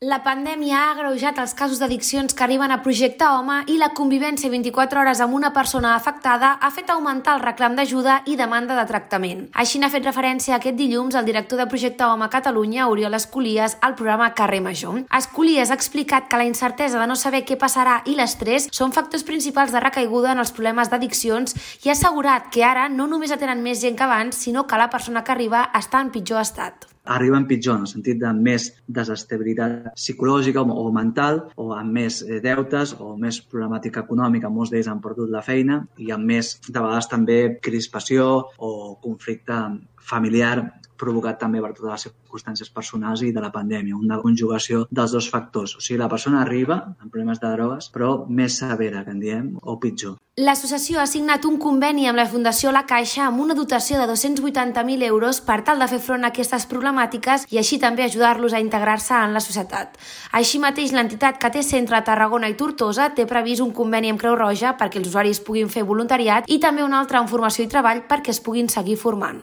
La pandèmia ha agreujat els casos d'addiccions que arriben a Projecte Home i la convivència 24 hores amb una persona afectada ha fet augmentar el reclam d'ajuda i demanda de tractament. Així n'ha fet referència aquest dilluns el director de Projecte Home a Catalunya, Oriol Escolies, al programa Carrer Major. Escolies ha explicat que la incertesa de no saber què passarà i l'estrès són factors principals de recaiguda en els problemes d'addiccions i ha assegurat que ara no només atenen més gent que abans, sinó que la persona que arriba està en pitjor estat. Arriben pitjor en el sentit de més desestabilitat psicològica o mental, o amb més deutes o més problemàtica econòmica. Molts d'ells han perdut la feina i amb més, de vegades també, crispació o conflicte familiar provocat també per totes les circumstàncies personals i de la pandèmia, una conjugació dels dos factors. O sigui, la persona arriba amb problemes de drogues, però més severa, que en diem, o pitjor. L'associació ha signat un conveni amb la Fundació La Caixa amb una dotació de 280.000 euros per tal de fer front a aquestes problemàtiques i així també ajudar-los a integrar-se en la societat. Així mateix, l'entitat que té centre a Tarragona i Tortosa té previst un conveni amb Creu Roja perquè els usuaris puguin fer voluntariat i també un altre en formació i treball perquè es puguin seguir formant.